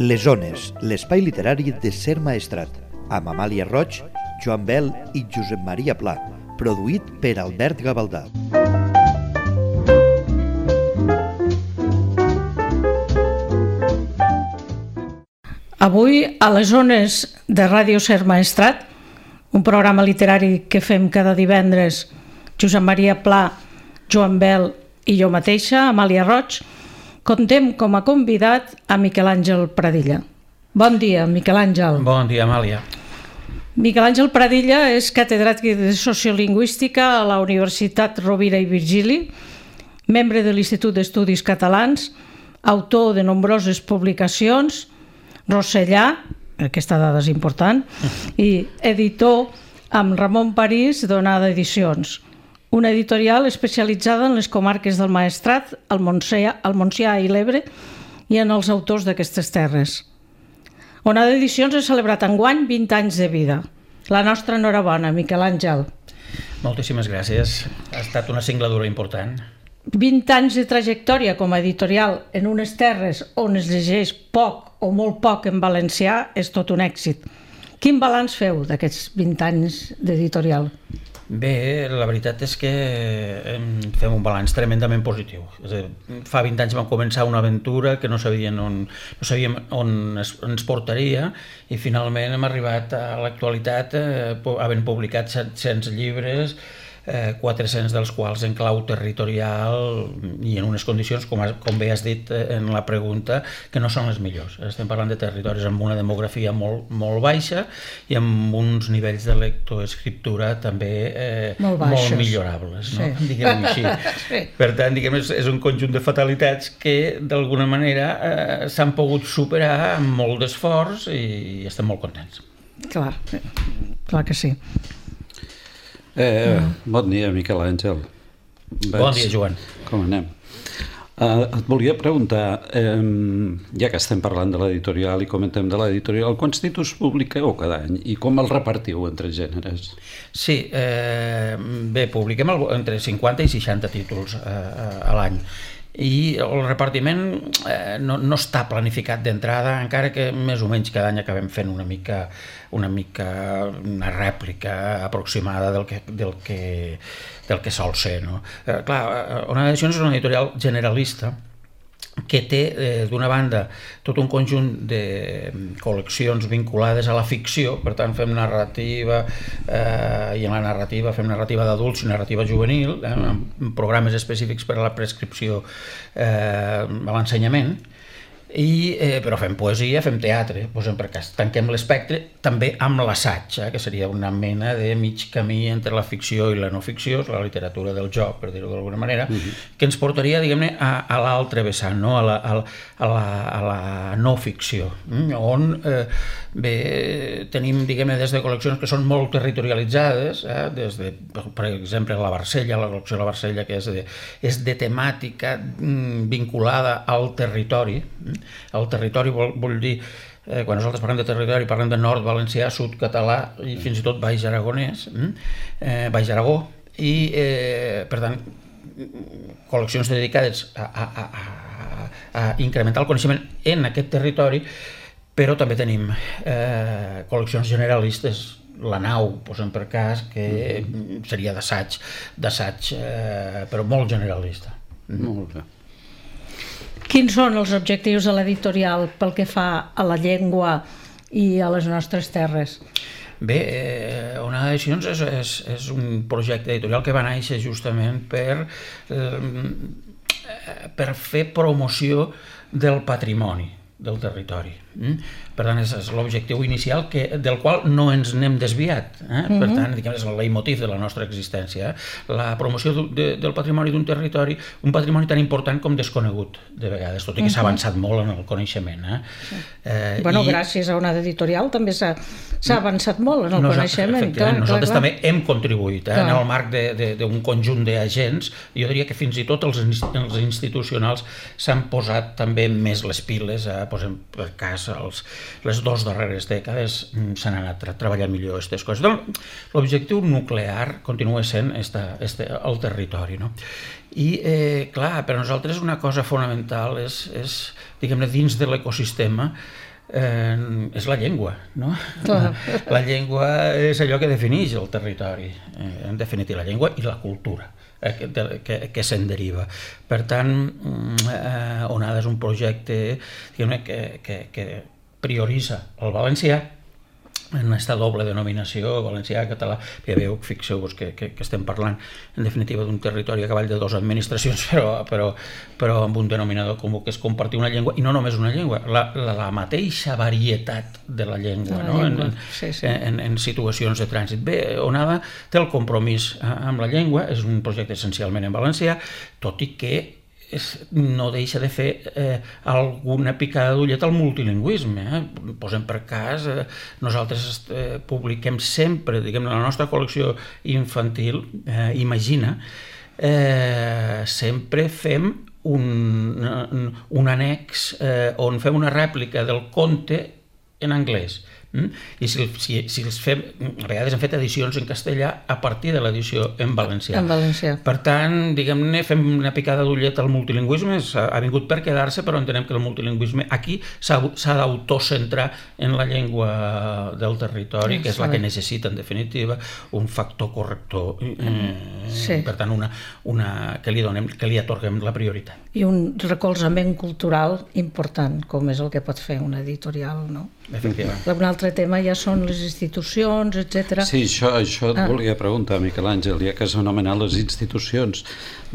Les Ones, l'espai literari de Ser Maestrat, amb Amàlia Roig, Joan Bel i Josep Maria Pla, produït per Albert Gavaldà. Avui, a les Ones de Ràdio Ser Maestrat, un programa literari que fem cada divendres, Josep Maria Pla, Joan Bel i jo mateixa, Amàlia Roig, contem com a convidat a Miquel Àngel Pradilla. Bon dia, Miquel Àngel. Bon dia, Amàlia. Miquel Àngel Pradilla és catedràtic de Sociolingüística a la Universitat Rovira i Virgili, membre de l'Institut d'Estudis Catalans, autor de nombroses publicacions, rossellà, aquesta dada és important, i editor amb Ramon París d'Onada Edicions, una editorial especialitzada en les comarques del Maestrat, el Montsià i l'Ebre i en els autors d'aquestes terres. Onada Edicions ha celebrat enguany 20 anys de vida. La nostra enhorabona, Miquel Àngel. Moltíssimes gràcies. Ha estat una singladura important. 20 anys de trajectòria com a editorial en unes terres on es llegeix poc o molt poc en valencià és tot un èxit. Quin balanç feu d'aquests 20 anys d'editorial? Bé, la veritat és que fem un balanç tremendament positiu. És a dir, fa 20 anys vam començar una aventura que no sabíem on ens portaria i finalment hem arribat a l'actualitat havent publicat 700 llibres, 400 dels quals en clau territorial i en unes condicions, com bé has dit en la pregunta, que no són les millors. Estem parlant de territoris amb una demografia molt baixa i amb uns nivells de lectoescriptura també molt millorables, no? Sí. Diguem-ho així. Sí. Per tant, és un conjunt de fatalitats que d'alguna manera s'han pogut superar amb molt d'esforç i estem molt contents. Clar que sí. Bon dia, Miquel Àngel. Bon dia, Joan. Com anem? Et volia preguntar, ja que estem parlant de l'editorial i comentem de l'editorial, quants títols publiqueu cada any i com els repartiu entre gèneres? Sí, bé, publiquem entre 50 i 60 títols a l'any. I el repartiment no està planificat d'entrada, encara que més o menys cada any acabem fent una rèplica aproximada del que sol ser, no? Clar, Onada Edicions és una editorial generalista que té, d'una banda, tot un conjunt de col·leccions vinculades a la ficció, per tant fem narrativa, i en la narrativa fem narrativa d'adults i narrativa juvenil, amb programes específics per a la prescripció a l'ensenyament, però fem poesia, fem teatre, posem per cas, tanquem l'espectre també amb l'assaig, que seria una mena de mig camí entre la ficció i la no ficció, la literatura del joc, per dir-ho d'alguna manera, que ens portaria, diguem-ne, a l'altre vessant, no? a la no ficció, on tenim, diguem-ne, des de col·leccions que són molt territorialitzades, des de, per exemple, la Barcella, la col·lecció de la Barcella, que és de temàtica vinculada al territori. El territori vol dir, quan nosaltres parlem de territori, parlem de nord valencià, sud català i fins i tot Baix Aragonès, Baix Aragó, i per tant col·leccions dedicades a incrementar el coneixement en aquest territori, però també tenim col·leccions generalistes, la Nau, posem per cas, que seria d'assaig, però molt generalista. Molt bé. Quins són els objectius de l'editorial pel que fa a la llengua i a les nostres terres? Bé, Onada Edicions és un projecte editorial que va néixer justament per fer promoció del patrimoni del territori. Per tant, és l'objectiu inicial del qual no ens n'hem desviat. Per tant, és el leitmotiv de la nostra existència. La promoció del patrimoni d'un territori, un patrimoni tan important com desconegut, de vegades, tot i que s'ha avançat molt en el coneixement. Gràcies a una editorial també s'ha avançat molt en el coneixement. Nosaltres també hem contribuït en el marc d'un conjunt d'agents. Jo diria que fins i tot els institucionals s'han posat també més les piles, posem per cas les 2 darreres dècades s'han anat treballant millor aquestes coses. Doncs, l'objectiu nuclear continua sent el territori, no? I, clar, per a nosaltres una cosa fonamental és diguem-ne, dins de l'ecosistema, és la llengua, no? La llengua és allò que defineix el territori, en definitiva, la llengua i la cultura que se'n deriva. Per tant, Onada és un projecte que prioritza el valencià en aquesta doble denominació, valencià, català. Ja veieu, fixeu-vos que estem parlant, en definitiva, d'un territori a cavall de dues administracions, però amb un denominador comú, que és compartir una llengua, i no només una llengua, la mateixa varietat de la llengua, no? En situacions de trànsit. Bé, Onada té el compromís amb la llengua, és un projecte essencialment en valencià, tot i que no deixa de fer alguna picada d'ullet al multilingüisme. Posem per cas, nosaltres publiquem sempre, diguem, la nostra col·lecció infantil, Imagina, sempre fem un annex on fem una rèplica del conte en anglès. I si els fem, a vegades hem fet edicions en castellà a partir de l'edició en valencià. Per tant, diguem-ne, fem una picada d'ullet al multilingüisme, ha vingut per quedar-se, però entenem que el multilingüisme aquí s'ha d'autocentrar en la llengua del territori, que és la que necessita, en definitiva, un factor corrector, per tant, que li atorguem la prioritat. I un recolzament cultural important, com és el que pot fer una editorial, no? Efectivament. Un altre tema ja són les institucions, etc. Sí, això et volia preguntar, Miquel Àngel, ja que s'ha anomenat les institucions.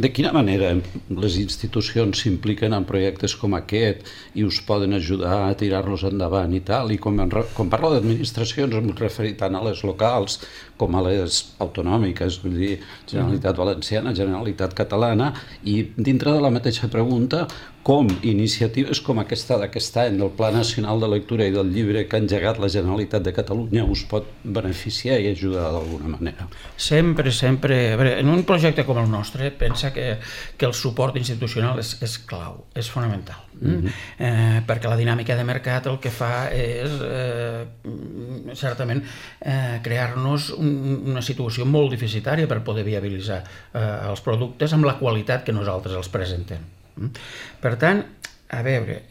De quina manera les institucions s'impliquen en projectes com aquest i us poden ajudar a tirar-los endavant i tal? I quan parlo d'administracions em referir tant a les locals com a les autonòmiques, vull dir, Generalitat Valenciana, Generalitat Catalana, i dintre de la mateixa pregunta, com iniciatives com aquesta d'aquest any del Pla Nacional de Lectura i del Llibre que ha engegat la Generalitat de Catalunya us pot beneficiar i ajudar d'alguna manera? Sempre. En un projecte com el nostre, pensa que el suport institucional és clau, és fonamental. Perquè la dinàmica de mercat el que fa és certament crear-nos una situació molt deficitària per poder viabilitzar els productes amb la qualitat que nosaltres els presentem. Per tant, a veure,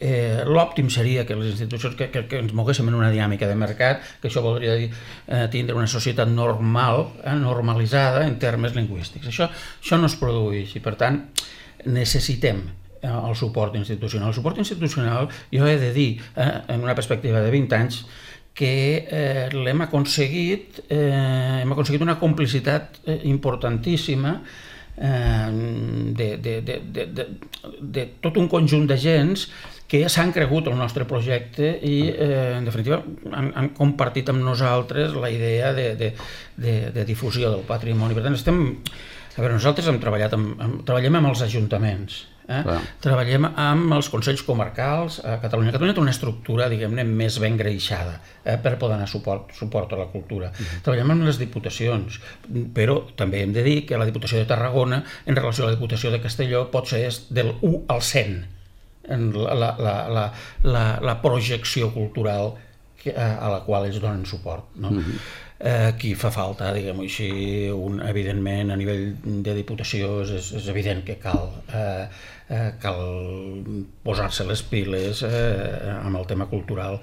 l'òptim seria que les institucions que ens moguéssim en una dinàmica de mercat, que això voldria dir tindre una societat normal, normalitzada en termes lingüístics. Això no es produeix i, per tant, necessitem el suport institucional. El suport institucional, jo he de dir, en una perspectiva de 20 anys, que hem aconseguit una complicitat importantíssima de tot un conjunt d'agents que s'han cregut el nostre projecte i, en definitiva, han compartit amb nosaltres la idea de difusió del patrimoni. Per tant, nosaltres treballem amb els ajuntaments, treballem amb els consells comarcals a Catalunya. Catalunya té una estructura, diguem-ne, més ben greixada per poder donar suport a la cultura. Treballem amb les diputacions, però també hem de dir que la Diputació de Tarragona, en relació a la Diputació de Castelló, pot ser del 1 al 100 en la projecció cultural a la qual ells donen suport. Aquí fa falta, diguem-ho així, evidentment, a nivell de diputació és evident que cal posar-se les piles amb el tema cultural.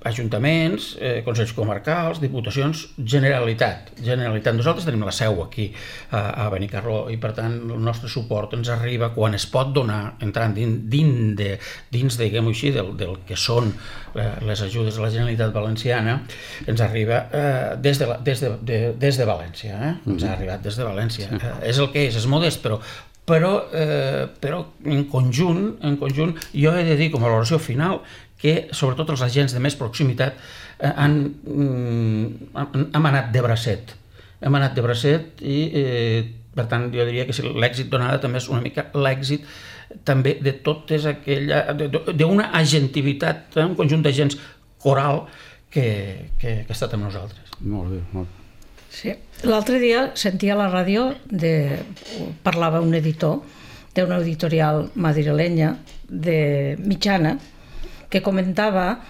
Ajuntaments, consells comarcals, diputacions, Generalitat. Nosaltres tenim la seu aquí, a Benicarló, i per tant el nostre suport ens arriba quan es pot donar, entrant dins diguem-ho així, del que són les ajudes de la Generalitat Valenciana, ens arriba des de València. Ens ha arribat des de València. És el que és modest, però en conjunt jo he de dir com a valoració final que sobretot els agents de més proximitat hem anat de bracet. I per tant jo diria que l'èxit d'Onada també és una mica l'èxit també de totes d'una agentivitat, un conjunt d'agents coral que ha estat amb nosaltres. Molt bé, molt bé. Sí. L'altre dia sentia a la ràdio, parlava un editor d'una editorial madrilenya de mitjana que comentava,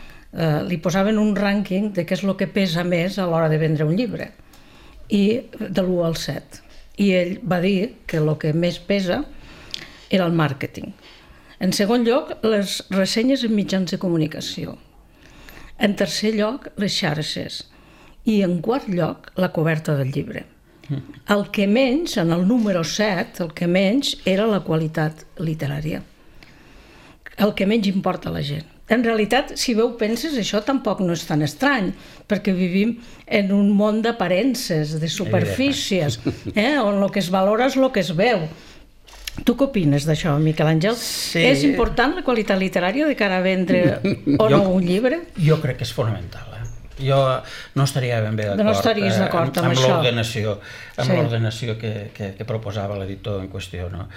li posaven un rànquing de què és el que pesa més a l'hora de vendre un llibre, i de l'1 al 7. I ell va dir que el que més pesa era el màrqueting. En segon lloc, les ressenyes en mitjans de comunicació. En tercer lloc, les xarxes. I en quart lloc, la coberta del llibre. El que menys, en el número 7, el que menys era la qualitat literària. El que menys importa a la gent. En realitat, si bé ho penses, això tampoc no és tan estrany, perquè vivim en un món d'aparences, de superfícies, on el que es valora és el que es veu. Tu què opines d'això, Miquel Àngel? Sí. És important la qualitat literària de cara a vendre o no un llibre? Jo crec que és fonamental. Jo no estaria ben bé d'acord, no estaries d'acord amb això. L'ordenació que proposava l'editor en qüestió. No?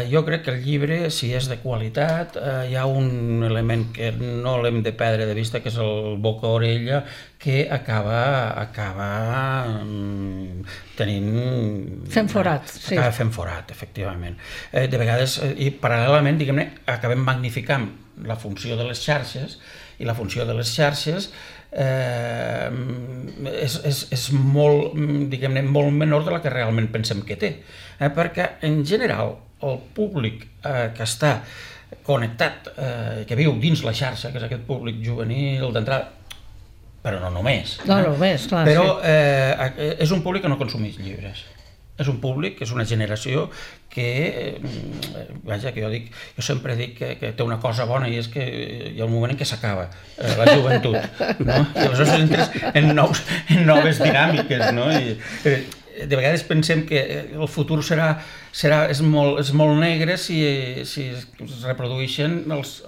Jo crec que el llibre, si és de qualitat, hi ha un element que no l'hem de perdre de vista, que és el boca-orella, que acaba tenint... Fent forat, sí. Acaba fent forat, efectivament. De vegades, i paral·lelament, diguem-ne, acabem magnificant la funció de les xarxes, i la funció de les xarxes és molt, diguem-ne, molt menor de la que realment pensem que té. Perquè, en general, el públic que està connectat, que viu dins la xarxa, que és aquest públic juvenil d'entrada, però no només. No només, clar. Però és un públic que no consumeix llibres. És un públic, és una generació que, vaja, que jo sempre dic que té una cosa bona, i és que hi ha un moment en què s'acaba la joventut, no? I aleshores entres en noves dinàmiques, no? I de vegades pensem que el futur és molt negre si es reprodueixen els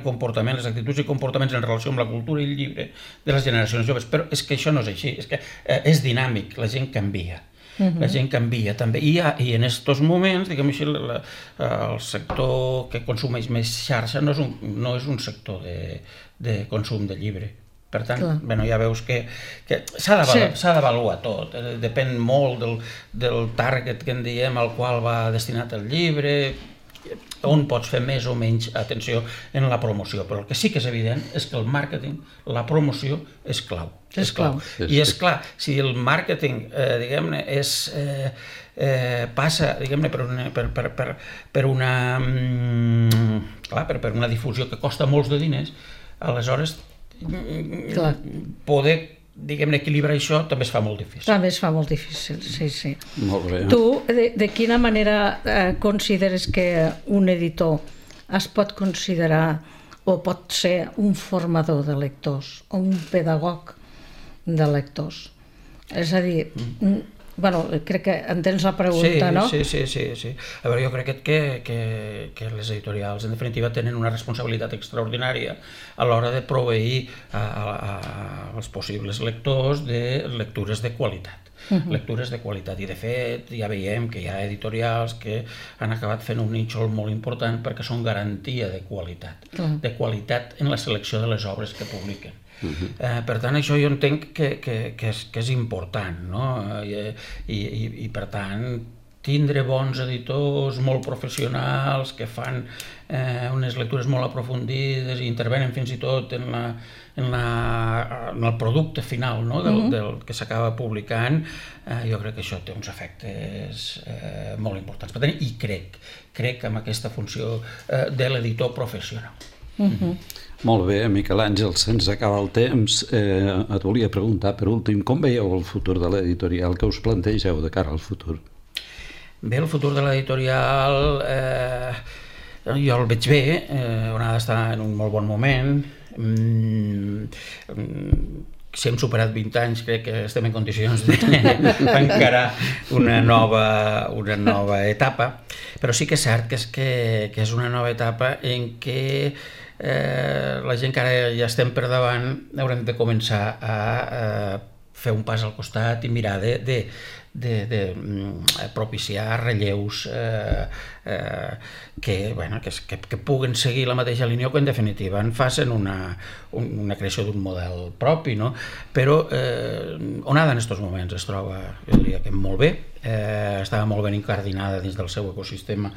comportaments, les actituds i comportaments en relació amb la cultura i el llibre de les generacions joves, però és que això no és així, és que és dinàmic, la gent canvia. La gent canvia també, i en aquests moments, diguem així, el sector que consumeix més xarxa no és un sector de consum de llibre. Per tant, ja veus que s'ha d'avaluar tot, depèn molt del target que en diem al qual va destinat el llibre, on pots fer més o menys atenció en la promoció, però el que sí que és evident és que el màrqueting, la promoció és clau. És clau. I és clar, si el màrqueting, diguem-ne, passa, diguem-ne, per una difusió que costa molts de diners, aleshores poder, diguem-ne, equilibrar això també es fa molt difícil. També es fa molt difícil, sí. Molt bé. Tu, de quina manera consideres que un editor es pot considerar o pot ser un formador de lectors o un pedagog de lectors? És a dir, crec que entens la pregunta, no? Sí. A veure, jo crec que les editorials, en definitiva, tenen una responsabilitat extraordinària a l'hora de proveir als possibles lectors de lectures de qualitat. Lectures de qualitat, i de fet ja veiem que hi ha editorials que han acabat fent un nínxol molt important perquè són garantia de qualitat en la selecció de les obres que publiquen. Per tant, això jo entenc que és important, no? I per tant, tindre bons editors molt professionals que fan unes lectures molt aprofundides i intervenen fins i tot en el producte final del que s'acaba publicant, jo crec que això té uns efectes molt importants. Per tant, i crec en aquesta funció de l'editor professional. Molt bé, Miquel Àngel, se'ns acaba el temps. Et volia preguntar, per últim, com veieu el futur de l'editorial? Què us plantegeu de cara al futur? Bé, el futur de l'editorial jo el veig bé, on ha d'estar en un molt bon moment. Si hem superat 20 anys, crec que estem en condicions d'encarar una nova etapa, però sí que és cert que és una nova etapa en què la gent que ara ja estem per davant haurem de començar a fer un pas al costat i mirar de propiciar relleus que puguen seguir la mateixa línia o que en definitiva en facin una creació d'un model propi, no? Però Onada en aquests moments es troba, jo diria que molt bé, estava molt ben incardinada dins del seu ecosistema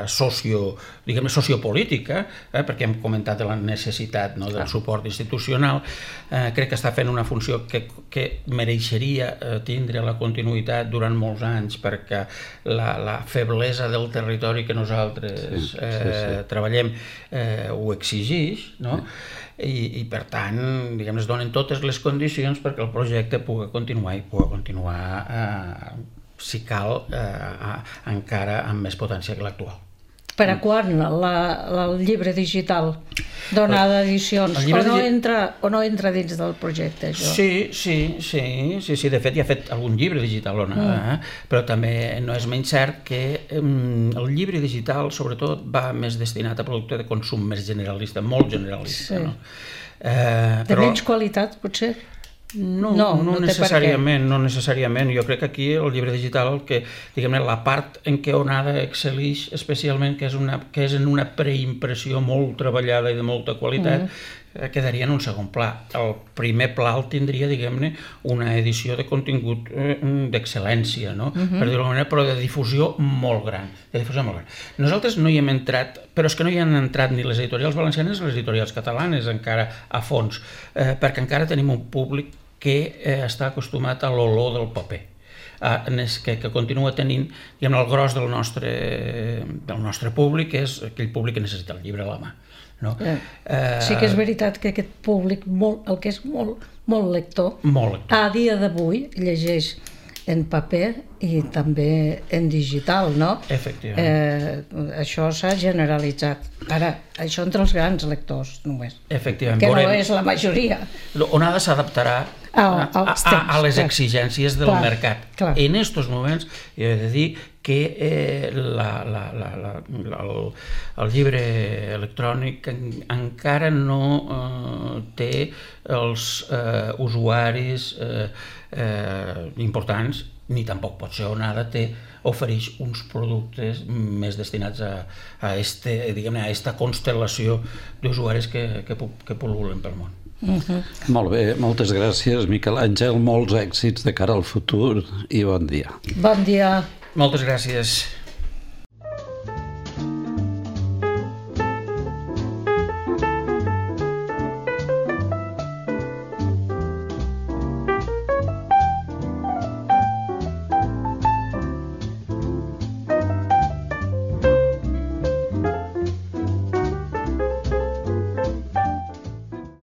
sociopolític, perquè hem comentat la necessitat del suport institucional. Crec que està fent una funció que mereixeria tindre la continuïtat durant molts anys, perquè la feblesa del territori que nosaltres treballem ho exigeix, no? I per tant, es donen totes les condicions perquè el projecte pugui continuar i pugui continuar, si cal, encara amb més potència que l'actual. Per a quan el llibre digital donada d'edicions? O no entra dins del projecte, això? Sí. De fet, ja ha fet algun llibre digital, però també no és menys cert que el llibre digital, sobretot, va més destinat a producte de consum més generalista, molt generalista. De menys qualitat, potser? No necessàriament. Jo crec que aquí el llibre digital, la part en què Onada excel·lix especialment, que és en una preimpressió molt treballada i de molta qualitat, quedaria en un segon pla. El primer pla el tindria, una edició de contingut d'excel·lència, per dir-ho d'alguna manera, però de difusió molt gran. Nosaltres no hi hem entrat, però és que no hi han entrat ni les editorials valencianes ni les editorials catalanes encara a fons, perquè encara tenim un públic que està acostumat a l'olor del paper, que continua tenint, el gros del nostre públic és aquell públic que necessita el llibre a la mà. Sí que és veritat que aquest públic, el que és molt lector, a dia d'avui llegeix en paper i també en digital, no? Efectivament. Això s'ha generalitzat. Ara, això entre els grans lectors, només. Efectivament. Que no és la majoria. Onada s'adaptarà a les exigències del mercat. En aquests moments, he de dir que el llibre electrònic encara no té els usuaris importants, ni tampoc pot ser Onada ofereix uns productes més destinats a aquesta constel·lació d'usuaris que pol·lulen pel món. Molt bé, moltes gràcies, Miquel Àngel, molts èxits de cara al futur i bon dia. Bon dia. Moltes gràcies.